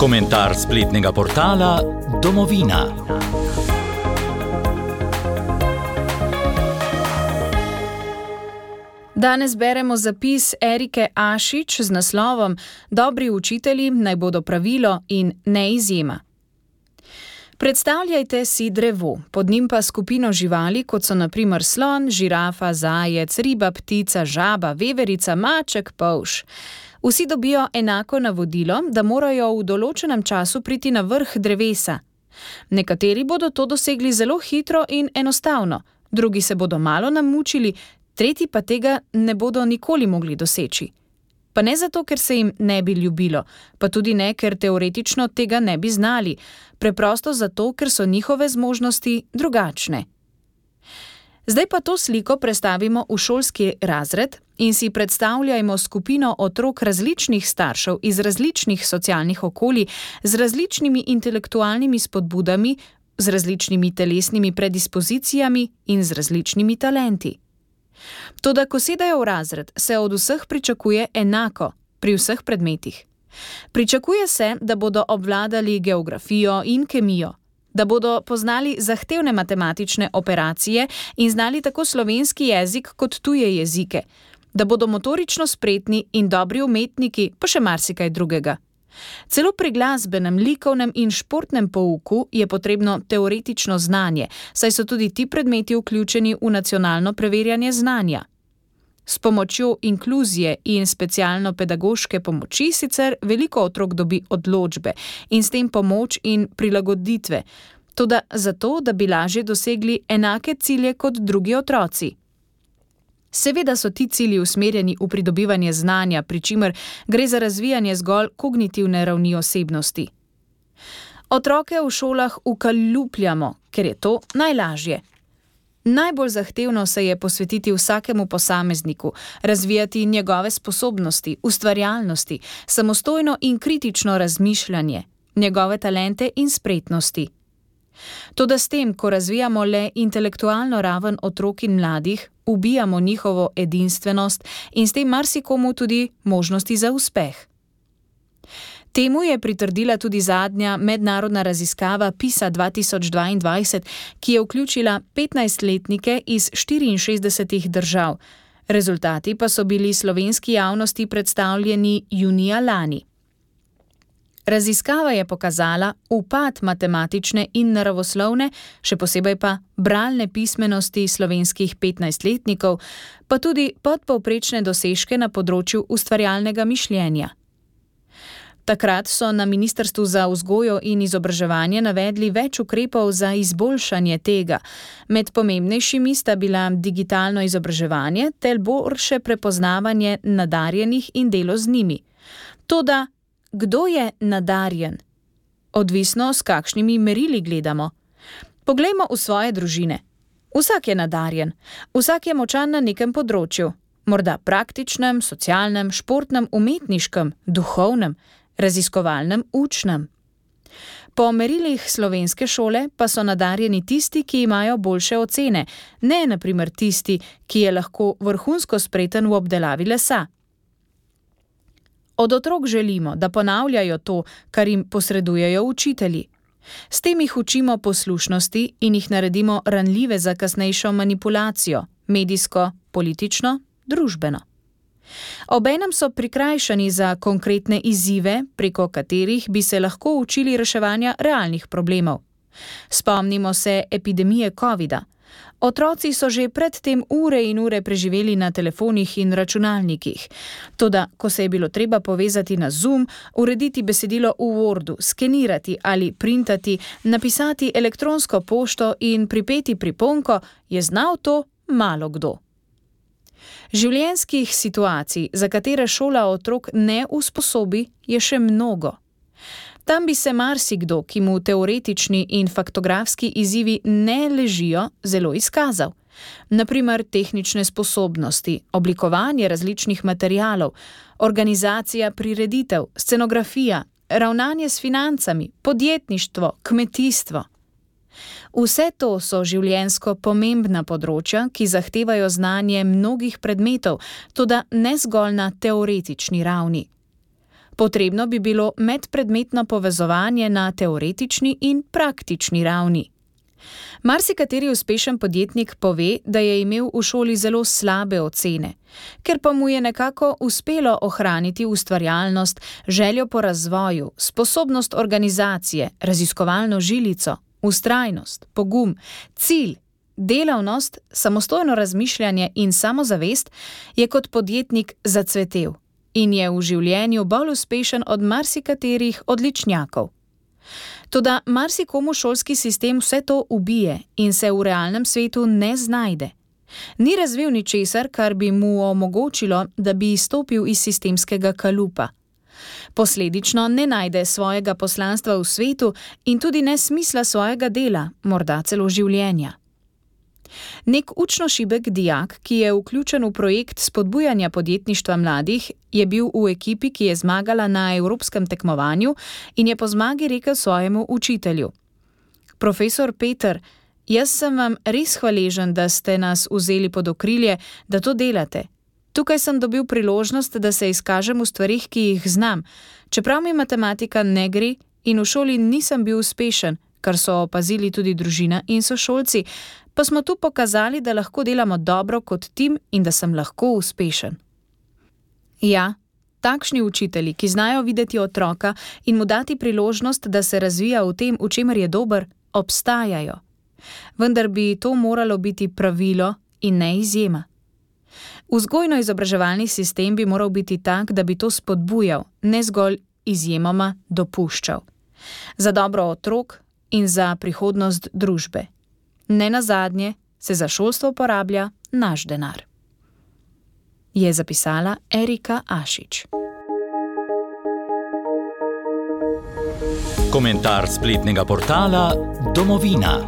Komentar spletnega portala Domovina. Danes beremo zapis Erike Ašič z naslovom Dobri učitelji naj bodo pravilo in ne izjema. Predstavljajte si drevo, pod njim pa skupino živali, kot so na primer slon, žirafa, zajec, riba, ptica, žaba, veverica, maček, polž. Vsi dobijo enako navodilo, da morajo v določenem času priti na vrh drevesa. Nekateri bodo to dosegli zelo hitro in enostavno, drugi se bodo malo namučili, tretji pa tega ne bodo nikoli mogli doseči. Pa ne zato, ker se jim ne bi ljubilo, pa tudi ne, ker teoretično tega ne bi znali, preprosto zato, ker so njihove zmožnosti drugačne. Zdaj pa to sliko prestavimo v šolski razred in si predstavljajmo skupino otrok različnih staršev iz različnih socialnih okolij, z različnimi intelektualnimi spodbudami, z različnimi telesnimi predispozicijami in z različnimi talenti. Toda, ko sedajo v razred, se od vseh pričakuje enako, pri vseh predmetih. Pričakuje se, da bodo obvladali geografijo in kemijo, da bodo poznali zahtevne matematične operacije in znali tako slovenski jezik kot tuje jezike, da bodo motorično spretni in dobri umetniki, pa še marsikaj drugega. Celo pri glasbenem, likovnem in športnem pouku je potrebno teoretično znanje, saj so tudi ti predmeti vključeni v nacionalno preverjanje znanja. S pomočjo inkluzije in specialno-pedagoške pomoči sicer veliko otrok dobi odločbe in s tem pomoč in prilagoditve, toda zato, da bi lažje dosegli enake cilje kot drugi otroci. Seveda so ti cilji usmerjeni v pridobivanje znanja, pri čimer gre za razvijanje zgolj kognitivne ravni osebnosti. Otroke v šolah ukaljupljamo, ker je to najlažje. Najbolj zahtevno se je posvetiti vsakemu posamezniku, razvijati njegove sposobnosti, ustvarjalnosti, samostojno in kritično razmišljanje, njegove talente in spretnosti. Toda s tem, ko razvijamo le intelektualno raven otrok in mladih, ubijamo njihovo edinstvenost in s tem marsikomu tudi možnosti za uspeh. Temu je pritrdila tudi zadnja mednarodna raziskava PISA 2022, ki je vključila 15-letnike iz 64 držav. Rezultati pa so bili slovenski javnosti predstavljeni junija lani. Raziskava je pokazala upad matematične in naravoslovne, še posebej pa bralne pismenosti slovenskih 15-letnikov, pa tudi podpovprečne dosežke na področju ustvarjalnega mišljenja. Takrat so na Ministrstvu za vzgojo in izobraževanje navedli več ukrepov za izboljšanje tega. Med pomembnejšimi sta bila digitalno izobraževanje ter boljše prepoznavanje nadarjenih in delo z njimi. Toda, kdo je nadarjen? Odvisno, s kakšnimi merili gledamo. Poglejmo v svoje družine. Vsak je nadarjen, vsak je močan na nekem področju, morda praktičnem, socialnem, športnem, umetniškem, duhovnem, raziskovalnem, učnem. Po merilih slovenske šole pa so nadarjeni tisti, ki imajo boljše ocene, ne na primer tisti, ki je lahko vrhunsko spreten v obdelavi lesa. Od otrok želimo, da ponavljajo to, kar jim posredujejo učitelji. S tem jih učimo poslušnosti in jih naredimo ranljive za kasnejšo manipulacijo, medijsko, politično, družbeno. Obenem so prikrajšani za konkretne izzive, preko katerih bi se lahko učili reševanja realnih problemov. Spomnimo se epidemije covida. Otroci so že predtem ure in ure preživeli na telefonih in računalnikih. Toda, ko se je bilo treba povezati na Zoom, urediti besedilo v Wordu, skenirati ali printati, napisati elektronsko pošto in pripeti priponko, je znal to malo kdo. Življenjskih situacij, za katere šola otrok ne usposobi, je še mnogo. Tam bi se marsikdo, ki mu teoretični in faktografski izzivi ne ležijo, zelo izkazal. Na primer tehnične sposobnosti, oblikovanje različnih materialov, organizacija prireditev, scenografija, ravnanje s financami, podjetništvo, kmetijstvo. Vse to so življenjsko pomembna področja, ki zahtevajo znanje mnogih predmetov, toda ne zgolj na teoretični ravni. Potrebno bi bilo medpredmetno povezovanje na teoretični in praktični ravni. Marsikateri uspešen podjetnik pove, da je imel v šoli zelo slabe ocene, ker pa mu je nekako uspelo ohraniti ustvarjalnost, željo po razvoju, sposobnost organizacije, raziskovalno žilico, vztrajnost, pogum, cilj, delavnost, samostojno razmišljanje in samozavest, je kot podjetnik zacvetel in je v življenju bolj uspešen od marsikaterih odličnjakov. Toda marsikomu šolski sistem vse to ubije in se v realnem svetu ne znajde. Ni razvil ničesar, kar bi mu omogočilo, da bi izstopil iz sistemskega kalupa. Posledično ne najde svojega poslanstva v svetu in tudi ne smisla svojega dela, morda celo življenja. Nek učno šibek dijak, ki je vključen v projekt spodbujanja podjetništva mladih, je bil v ekipi, ki je zmagala na evropskem tekmovanju in je po zmagi rekel svojemu učitelju: Profesor Peter, jaz sem vam res hvaležen, da ste nas vzeli pod okrilje, da to delate. Tukaj sem dobil priložnost, da se izkažem v stvarih, ki jih znam, čeprav mi matematika ne gre in v šoli nisem bil uspešen, kar so opazili tudi družina in sošolci, pa smo tu pokazali, da lahko delamo dobro kot tim in da sem lahko uspešen. Ja, takšni učitelji, ki znajo videti otroka in mu dati priložnost, da se razvija v tem, v čemer je dober, obstajajo. Vendar bi to moralo biti pravilo in ne izjema. Vzgojno-izobraževalni sistem bi moral biti tak, da bi to spodbujal, ne zgolj izjemoma dopuščal. Za dobro otrok in za prihodnost družbe. Nenazadnje se za šolstvo porablja naš denar. Je zapisala Erika Ašič. Komentar spletnega portala Domovina.